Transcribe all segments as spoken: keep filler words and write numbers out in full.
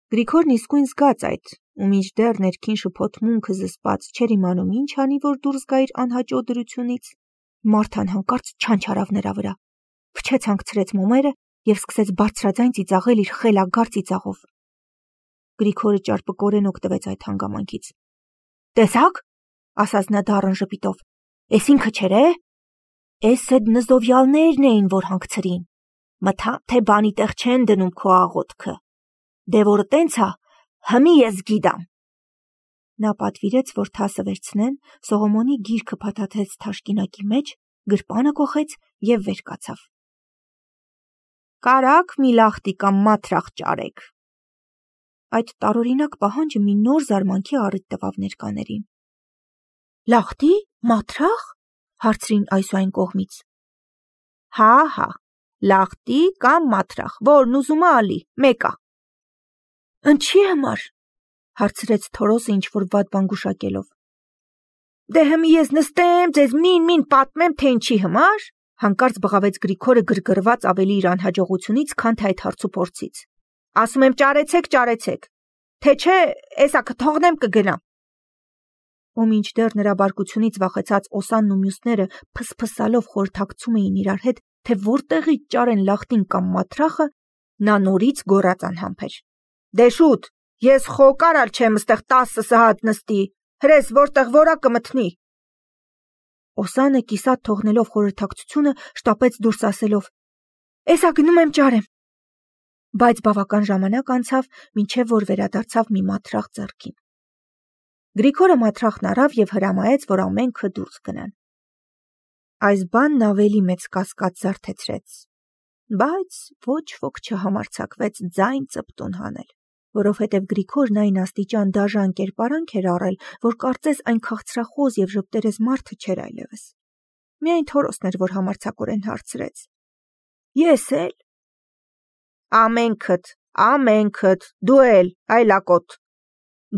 Գրիգորն իսկույն զգաց այդ, ու մինչդեռ ներքին շփոթմունքը զսպած չէր իմանում ինչ անի, որ դուրս գա իր անհաճո դրությունից, Մարթան հանկարծ չանչարավ նրա վրա, փչեց հանգցրեց մոմերը և սկսեց բարձրաձայն ծիծաղել իր խելագար ծիծաղով։ Գրիգորը ճարպկորեն օգտվեց այդ հանգամանքից։ «Տեսա՞ք», ասաց նա դառն ժպիտով, «էս ինքը չէր է։ Էս էդ նզովյալներն էին, որ հանգցրին։ Մթամ, թե բանի տեղ չեն դնում քո աղոթքը։ Դե որ տենց ա, հմի ես գիտամ»։ Նա պատվիրեց, որ թասը վերցնեն, Սողոմոնի գիրքը փաթաթեց թաշկինակի մեջ, գրպանը կոխեց և վեր կացավ։ «Կարաք մի լախտի կամ մաթրախ ճարեք»։ Այդ տարօրինակ պահանջը մի նոր զարմանքի առիթ տվավ ներկաներին։ «Լախտի, մաթրախ»։ հարցրին այս ու այն կողմից։ «Հա, հա, լախտի կամ մաթրախ, որն ուզում ա ալի, մեկ ա»։ «Ընչի համար», հարցրեց Թորոսը ինչ-որ վատ բան գուշակելով։ «Դե հմի ես նստեմ, ձեզ մին-մին պատմեմ, թե ինչի համար», հանկարծ բղավեց Գրիգորը գրգռված ավելի իր անհաջողությունից, քան թե այդ հարցուփորձից։ «Ասում եմ ճարեցեք, ճարեցեք, թե չէ, էսա կթողնեմ կգնամ»։ Ու մինչդեռ նրա բարկությունից վախեցած Օսանն ու մյուսները փսփսալով խորհրդակցում էին իրար հետ, թե որտեղից ճարեն լախտին կամ մաթրախը, նա նորից գոռաց անհամբեր. «Դե շուտ, ես խոկարալ չեմ ստեղ տասը սահատ նստի, հրես որտեղ որա կմթնի»։ Օսանը կիսատ թողնելով խորհրդակցությունը շտապեց դուրս ասելով. «Էսա գնում եմ ճարեմ»։ Բայց բավական ժամանակ անցավ, մինչև որ վերադարձավ մի մաթրախ ձեռքին։ Գրիգորը մաթրախն առավ և հրամայեց, որ ամենքը դուրս գնան։ Այս բանն ավելի մեծ կասկած զարթեցրեց, բայց ոչ ոք չհամարձակվեց ձայն ծպտուն հանել, որովհետև Գրիգորն այն աստիճան դաժան կերպարանք էր առել, որ կարծես այն քաղցրախոզ և ժպտերես մարդը չէր այլևս։ Միայն Թորոսն էր, որ համարձակորեն հարցրեց. «Ես էլ»։ «Ամենքդ, ամենքդ, դու էլ, այլակոտ»,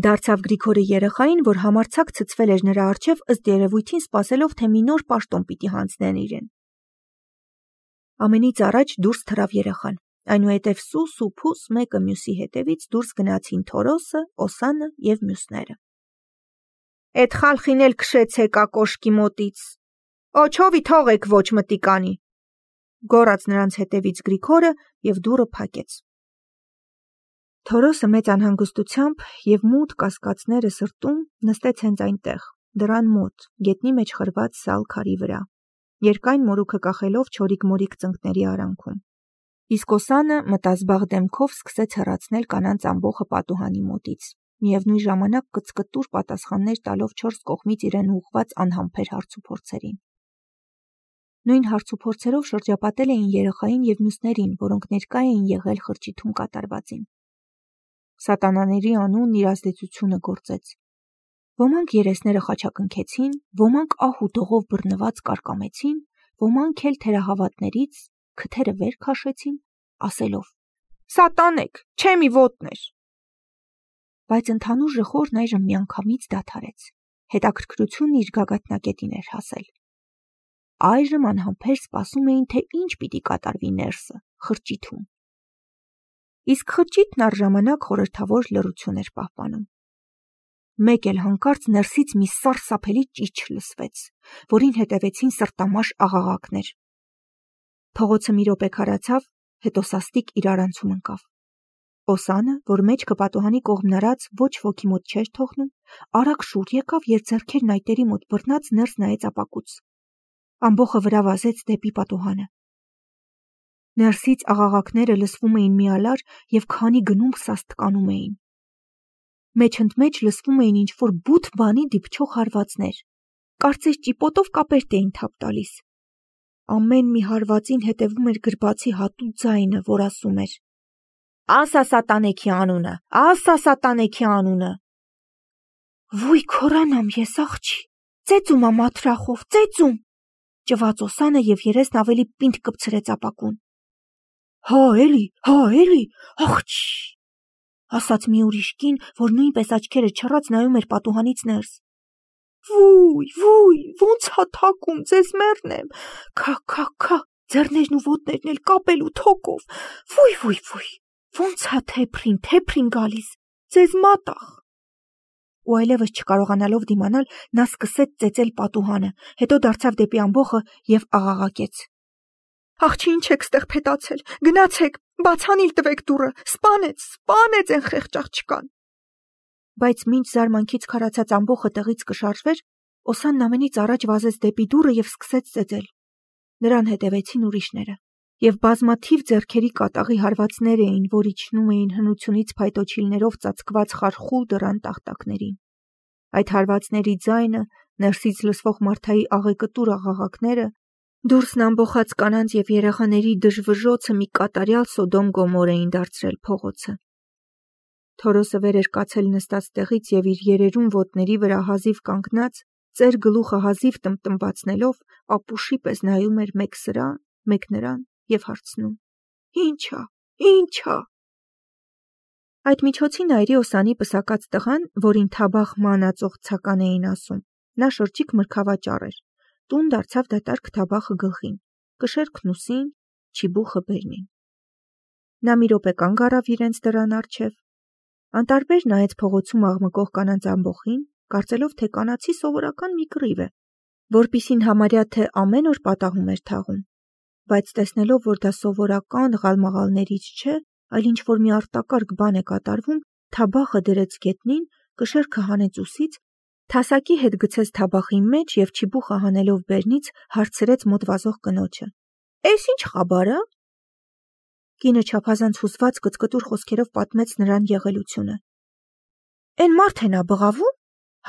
դարձավ Գրիգորը երեխային, որ համարձակ ցցվել էր նրա առջև, ըստ երևույթին սպասելով, թե մի նոր պաշտոն պիտի հանձնեն իրեն։ Ամենից առաջ դուրս թռավ երեխան, այնուհետև սուս ու փուս մեկը մյուսի հետևից դուրս գնացին Թորոսը, Օսանը և մյուսները։ «Էդ խալխին էլ քշեցեք ա կոշկի մոտից, օչովի թողեք ոչ մտի կանի», գոռաց նրանց հետևից Գրիգորը և դուռը փակեց։ Թորոսը մեծ անհանգստությամբ և մութ կասկածները սրտում նստեց հենց այնտեղ, դռան մոտ, գետնի մեջ խրված սալ քարի վրա, երկայն մորուքը կախելով չորիկ-մորիկ ծնկների արանքում։ Իսկ Օսանը մտազբաղ դեմքով սկսեց հեռացնել կանանց ամբոխը պատուհանի մոտից, միևնույն ժամանակ կծկտուր պատասխաններ տալով չորս կողմից իրեն ուղղված անհամբեր հարցուփորձերին։ Նույն հարցուփորձերով շրջապատել էին երեխային և մյուսներին, որոնք ներկա էին եղել խրճիթում կատարվածին։ Սատանաների անունն իր ազդեցությունը գործեց։ Ոմանք երեսները խաչակնքեցին, ոմանք ահ ու դողով բռնված կարկամեցին, ոմանք էլ թերահավատներից քթերը վեր քաշեցին, ասելով. «Սատանեք, չեմի ոտներ»։ Բայց ընդհանուր ժխորն այժմ միանգամից դադարեց, հետաքրքրությունն իր գագաթնակետին էր հասել։ Այժմ անհամբեր սպասում էին, թե ինչ պիտի կատարվի ներսը, խրճիթում։ Իսկ խրճիթն առժամանակ խորհրդավոր լռություն էր պահպանում։ Մեկ էլ հանկարծ ներսից մի սարսափելի ճիչ լսվեց, որին հետևեցին սրտամաշ աղաղակներ։ Փողոցը մի րոպե քարացավ, հետո սաստիկ իրարանցում ընկավ։ Օսանը, որ մեջքը պատուհանի կողմն արած ոչ ոքի մոտ չէր թողնում, արագ շուռ եկավ և ձեռքերն այտերի մոտ բռնած ներս նայեց ապակուց։ Ամբոխը վրա վազեց դեպի պատուհանը։ Ներսից աղաղակները լսվում էին մի ալար և քանի գնում սաստկանում էին։ Մեջ ընդ մեջ լսվում էին ինչ-որ բութ բանի դիպչող հարվածներ, կարծես ճիպոտով կապերտ էին թափ տալիս։ Ամեն մի հարվածին հետևում էր գրբացի հատուկ ձայնը, որ ասում էր. «Ասա սատանեքի անունը, ասա սատանեքի անունը»։ «Վույ քորանամ ես աղջի, ծեծում ա մաթրախով, ծեծում», ճվաց Օսանը և երեսն ավելի պինդ կպցրեց ապակուն։ «Հա էլի, հա էլի, աղջի», ասաց մի ուրիշ կին, որ նույնպես աչքերը չռած նայում էր պատուհանից ներս։ «Վույ, վույ, ոնց ա թակում, ձեզ մեռնեմ, քա, քա, քա, ձեռներն ու ոտներն էլ կապել ու թոկով, վույ, վույ, վույ»։ Ոնց է թեփրին, թեփրին գալիս, ձեզ մատաղ։ Ու այլևս չկարողանալով դիմանալ, նա սկսեց ծեծել պատուհանը, հետո դարձավ դեպի ամբոխը և աղաղակեց. Աղջի ինչ եք ստեղ փետացել, գնացեք, բացանիլ տվեք դուռը, սպանեց, սպանեց են խեղճ աղջկան։ Բայց մինչ զարմանքից քարացած ամբոխը տեղից կշարժվեր, Օսանն ամենից առաջ վազեց դեպի դուռը և սկսեց ծեծել։ Նրան հետևեցին ուրիշները, և բազմաթիվ ձեռքերի կատաղի հարվածներ էին, որ իջնում էին հնությունից փայտոջիլներով ծածկված խարխուլ դռան տախտակներին։ Այդ հարվածների ձայնը, ներսից լսվող մարդայի աղեկտուր աղաղակները, դուրսն ամբոխած կանանց և երեխաների դժվժոցը մի կատարյալ Սոդոմ Գոմոր էին դարձրել փողոցը։ Թորոսը վեր էր կացել նստած տեղից և իր երերուն ոտների վրա հազիվ կանգնած, ծեր գլուխը հազիվ տմտմբացնելով, ապուշի պես նայում էր մեկ սրան, մեկ նրան և հարցնում. Ի՞նչ ա, ի՞նչ ա։ Այդ միջոցին այրի Օսանի պսակած տղան, որին Թաբախ մանածող Ցական էին ասում, նա շրջիկ մրգավաճառ էր, տուն դարձավ դատարկ Թաբախը գլխին, կշերքն ուսին, չիբուխը բերնին։ Նա մի րոպե կանգ առավ իրենց դռան առջև, անտարբեր նայեց փողոցում աղմկող կանանց ամբոխին, կարծելով, թե կանացի սովորական մի կռիվ է, որպիսին համարյա թե ամեն օր պատահում էր թաղում, բայց տեսնելով, որ դա սովորական ղալմաղալներից չէ, այլ ինչ-որ մի արտակարգ բան է կատարվում, Թաբախը դրեց գետնին, կշերքը հանեց ուսից, թասակի հետ գցեց Թաբախի մեջ և չիբուխը հանելով բերնից հարցրեց մոտ վազող կնոջը. Էս ինչ խաբար ա։ Կինը չափազանց հուզված կծկտուր խոսքերով պատմեց նրան եղելությունը։ Էն մարդ են ա բղավում,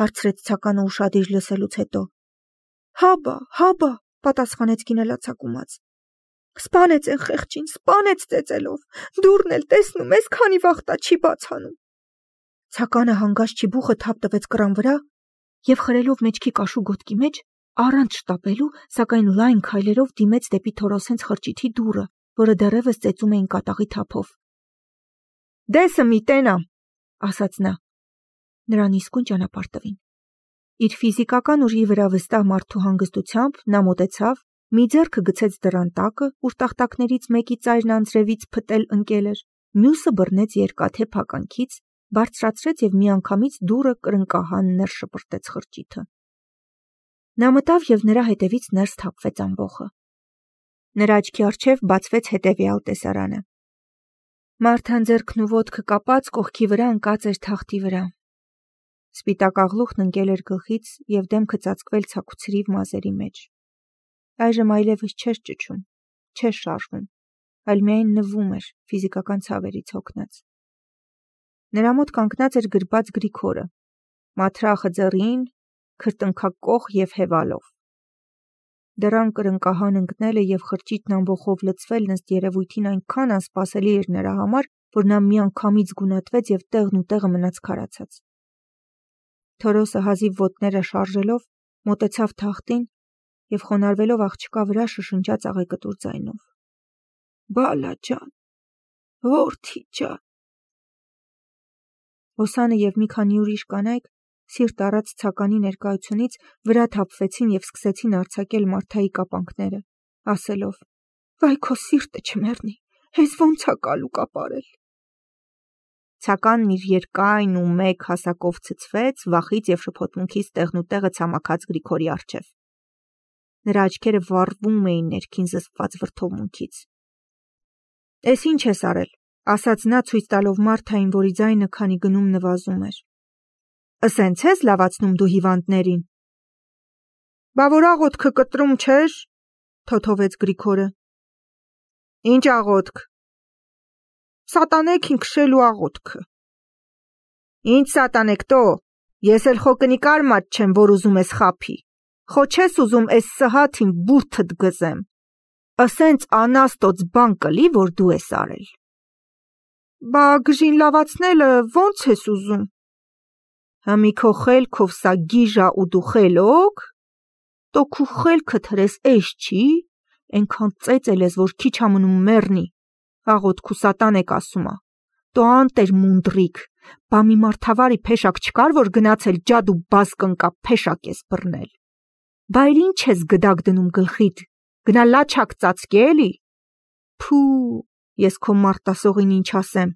հարցրեց Ցականը ուշադիր լսելուց հետո։ Հաբա, հաբա, պատասխանեց կինը լացակումած։ Սպանեց են խեղճին, սպանեց ծեծելով, դուռն էլ տեսնում ես, քանի վախտա չի բաց անում։ Ցականը հանգած չիբուխը թափ տվեց կռան վրա և խրելով մեջքի կաշու գոտքի մեջ, առանց շտապելու, սակայն լայն քայլերով դիմեց դեպի Թորոսենց խրճիթի դուռը, որը դեռևս ծեծում էին կատաղի թափով։ Դեսը մի տենա, ասաց նա։ Նրան իսկույն ճանապարհ տվին։ Իր ֆիզիկական ուժի վրա վստահ մարդու հանգստությամբ նա մոտեցավ, մի ձեռքը գցեց դռան տակը, ուր տախտակներից մեկի ծայրն անձրևից փտել ընկել էր, մյուսը բռնեց երկաթե փականքից, բարձրացրեց և միանգամից դուռը կրնկահան ներս շպրտեց խրճիթը։ Նա մտավ և նրա հետևից ներս թափվեց ամբոխը։ Նրա աչքի առջև բացվեց հետևյալ տեսարանը։ Մարթան ձեռքն ու ոտքը կապած կողքի վրա ընկած էր թախտի վրա։ Սպիտակ աղլուխն ընկել էր գլխից և դեմքը ծածկվել ցաքուցրիվ մազերի մեջ։ Այժմ այլևս չէր ճչում, չէր շարժվում, այլ միայն նվում էր ֆիզիկական ցավերից հոգնած։ Նրա մոտ կանգնած էր գրբաց Գրիգորը, մաթրախը ձեռին, քրտնքակոխ և հևալով։ Դռան կրնկահան ընկնելը և խրճիթն ամբոխով լցվելն ըստ երևույթին այնքան անսպասելի էր նրա համար, որ նա միանգամից գունատվեց և տեղն ու տեղը մնաց քարացած։ Թորոսը հազիվ ոտները շարժելով մոտեցավ թախտին և խոնարհվելով աղջկա վրա շշնջաց աղեկտուր ձայնով. Բալա ջան, որդի ջան։ Օսանը և մի քանի ուրիշ կանայք, սիրտ առած Ցականի ներկայությունից, վրա թափվեցին և սկսեցին արձակել Մարթայի կապանքները, ասելով. Վայ քո սիրտը չմեռնի, հեզ ոնց ա կալու կապարել։ Ցականն իր երկայն ու մեկ հասակով ցցվեց, վախից և շփոթմունքից տեղն ու տեղը ցամաքած Գրիգորի առջև։ Նրա աչքերը վառվում էին ներքին զսպված վրդովմունքից։ Էս ինչ ես արել, ասաց նա ցույց տալով Մարթային, որի ձայնը քանի գնում նվազում էր։ Ասենց ես լավացնում դու հիվանդներին։ Բա որ աղոթքը կտրում չես, թոթովեց Գրիգորը։ Ինչ աղոթք։ Սատանեքին քշելու աղոթքը։ Ինչ սատանեք տո, ես էլ խո կնիկար մատ չեմ, որ ուզում ես խափի։ Խո չես ուզում էս սհաթին բուրդդ գզեմ։ Ասենց անաստոց բան կլի, որ դու ես արել։ Բա գժին լավացնելը ոնց ես ուզում։ Հմի քո խելքով սա գիժա ու դու խելոք։ Տո քու խելքդ հրես էս չի, ենքան ծեծել ես, որ քիչ ամնում մեռնի, աղոթք ու սատանեք ասումա։ Տո անտեր մունդրիկ, բա մի մարդավարի փեշակ չկար, որ գնացել ջադ ու բազ կնկա փեշակ ես բռնել։ Բա էլ ինչ ես գդակ դնում գլխիդ, գնա լաչակ ծածկի էլի։ Փու, ես քո մարտասողին ինչ ասեմ,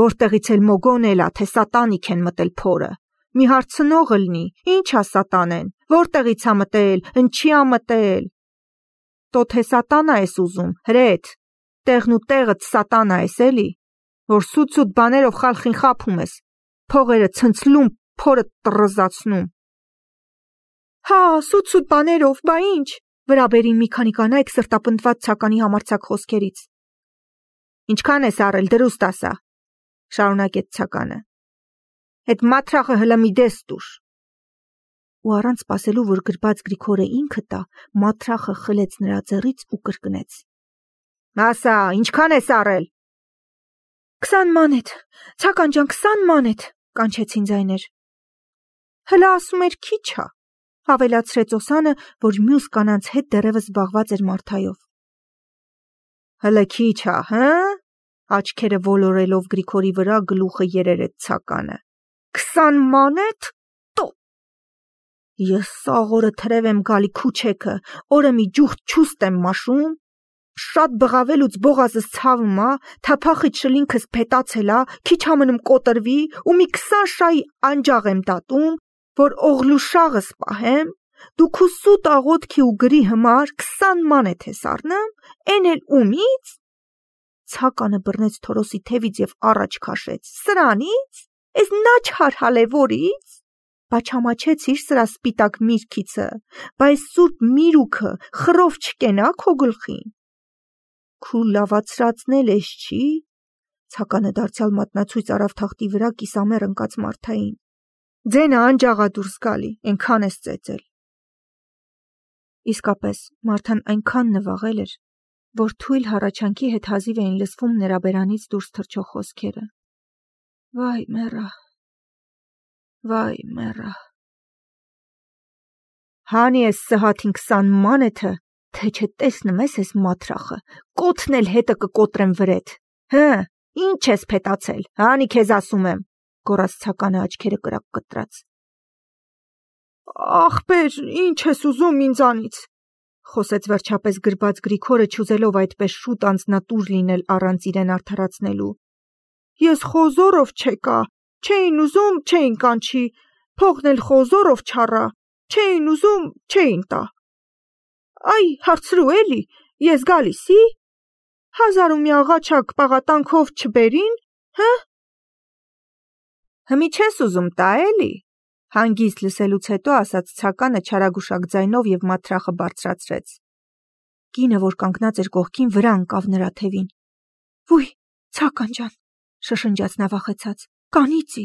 որտեղից էլ մոգոն էլա, թե սատանիկ են մտել փորը, մի հարցնող ըլնի, ինչ ա սատանեն, որտեղից ա մտել, ընչի ա մտել, տո թե սատանա ես ուզում, հրետ, տեղն ու տեղդ սատանա ես էլի, որ սուտ-սուտ բաներով խալխին խափում ես, փողերը ցնցլում, փորը տրզացնում։ Հա, սուտ-սուտ բաներով, բա ինչ, վրա բերին մի քանի կանայք սրտապնդված ցականի համարձակ խոսքերից։ Ինչքան ես առել, դրուստ ասա, շարունակեց ցականը։ Այդ մաթրախը հլը մի դես տուր։ Ու առանց սպասելու, որ գրբաց Գրիգորը ինքը տա, մաթրախը խլեց նրա ձեռից ու կրկնեց. Ասա, ինչքան ես առել։ Քսան մանեթ, ցական ջան, քսան մանեթ, կանչեցին ձայներ։ Հլը ասում էր քիչ ա, ավելացրեց Օսանը, որ մյուս կանանց հետ դեռևս զբաղված էր Մարթայով։ Հլը քիչ ա, հը՞։ Աչքերը ոլորելով Գրիգորի վրա գլուխը երերեց ցականը։ Քսան մանեթ, տո։ Ես սաղ օրը թրև եմ գալի քուչեքը, օրը մի ջուխտ չուստ եմ մաշում, շատ բղավելուց բողազս ցավում ա, թափախից շլինքս փետացել ա, քիչ համնում կոտրվի ու մի քսան շայի անջաղ եմ դատում, որ օղլուշաղս պահեմ, դու քու սուտ աղոթքի ու գրի համար քսան մանեթ ես առնում, էն էլ ումից։ Ցականը բռնեց Թորոսի թևից և առաջ քաշեց։ Սրանից, էս նաչհար հալևորից, բա չամաչեցիր սրա սպիտակ միրգիցը, բա այս սուրբ միրուքը խռով չկենա քո գլխին։ Քու լավացրածնել ես չի։ Ցականը դարձյալ մատնացույց արավ թախտի վրա կիսամեռ ընկած Մարթային։ Ձենը անջաղա դուրս գալի, այնքան ես ծեծել։ Իսկապես, Մարթան այնքան նվաղել էր, որ թույլ հառաչանքի հետ հազիվ էին լսվում նրա բերանից դուրս թռչող խոսքերը։ Վայ մեռա, վայ մեռա։ Հանի ես սհաթին քսան մանեթը, թե չէ տեսնում ես ես մաթրախը, կոթն էլ հետը կկոտրեմ վրեդ։ Հը, ինչ ես փետացել, հանի քեզ ասում եմ, գոռաց ցականը աչքերը կրակ կտրած։ Ախպեր, ինչ ես ուզում ինձանից, խոսեց վերջապես գրբաց Գրիգորը, չուզելով այդպես շուտ անձնատուր լինել առանց իրեն արդարացնելու։ Ես խոզորով չեկա, չէին ուզում, չէին կանչի, փողն էլ խոզորով չառա, չէին ուզում, չէին տա։ Այ, հարցրու էլի, ես գալիսի, հազար ու մի աղաչակ պաղատանքով չբերին, հը։ Հմի չես ուզում տա էլի, հանգիստ լսելուց հետո ասաց ցականը չարագուշակ ձայնով և մաթրախը բարձրացրեց։ Կինը, որ կանգնած էր կողքին, վրա ընկավ նրա թևին։ Ոյ, ցական ջան, շշնջաց նա վախեցած, կանիծի։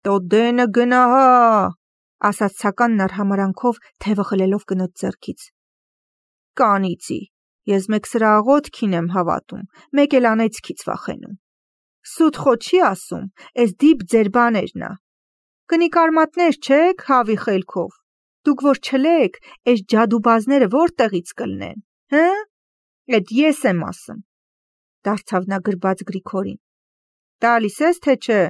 Տո դենը գնա հա, ասաց ցականն արհամարանքով թևը խլելով կնոջ ձեռքից։ Կանիծի, ես մեկ սրա աղոթքին եմ հավատում, մեկ էլ անեծքից վախենում։ Սուտ խո չի ասում, էս դիպ ձեր բաներն ա։ Կնիկ արմատներ չեք, հավի խելքով, դուք որ չլեք, էս ջադուբազները որտեղից կլնեն, հը, էդ ես եմ ասում, դարձավ նա գրբաց Գրիգորին, տալիս ես թե չէ։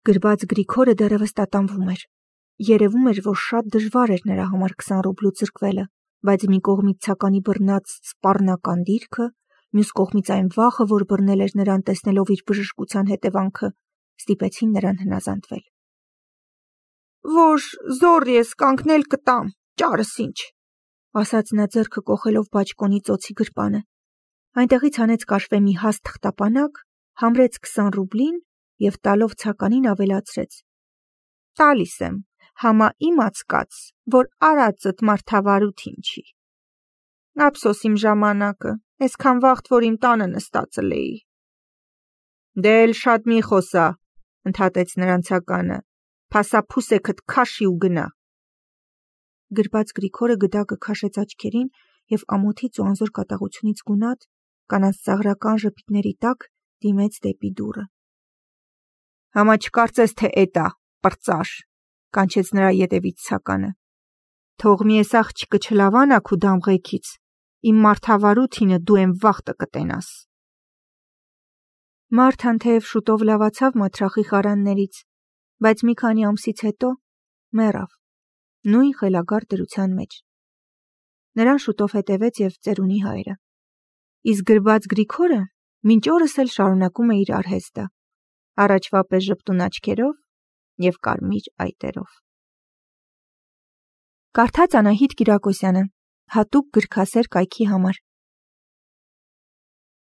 Գրբաց Գրիգորը դեռևս տատանվում էր, երևում էր, որ շատ դժվար էր նրա համար քսան ռուբլու ձրկվելը, բայց մի կողմից ցականի բռնած սպառնական դիրքը, մյուս կողմից այն վախը, որ բռնել էր նրան տեսնելով իր բժշկության հետևանքը, ստիպեցին նրան հնազանդվել։ Որ զոր ես կանգնել կտամ, ճարս ինչ, ասաց նա ձեռքը կոխելով բաճկոնի ծոցի գրպանը։ Այնտեղից հանեց կաշվե մի հաստ թղթապանակ, համրեց քսան ռուբլին և տալով ցականին ավելացրեց. Տալիս եմ, համա իմացկաց, որ արածդ մարդավարություն չի։ Ափսոս իմ ժամանակը, այսքան վաղտ, որ իմ տանը նստած էի։ Դե էլ շատ մի խոսա, ընդհատեց նրան ցականը, փասափուսեքդ քաշի ու գնա։ Գրբաց Գրիգորը գդակը քաշեց աչքերին և ամոթից ու անզոր կատաղությունից գունատ, կանանց ծաղրական ժպիտների տակ դիմեց դեպի դուռը։ Համա չկարծես, թե էդ ա, պրծաշ, կանչեց նրա ետևից ցականը։ Թող մի էս աղջիկը չլավանա քու դամղեքից, իմ մարդավարութինը դու եմ վախտը կտենաս։ Մարթան թեև շուտով լավացավ մաթրախի խարաններից, բայց մի քանի ամսից հետո մեռավ, նույն խելագար դրության մեջ։ Նրան շուտով հետևեց և ծերունի հայրը։ իսկ գրված Գրիգորը մինչ օրս էլ շարունակում է իր արհեստը, առաջվա պես ժպտուն աչքերով և կարմիր այտերով։ Կարդաց Անահիտ Կիրակոսյանը, հատուկ գրքասեր կայքի համար։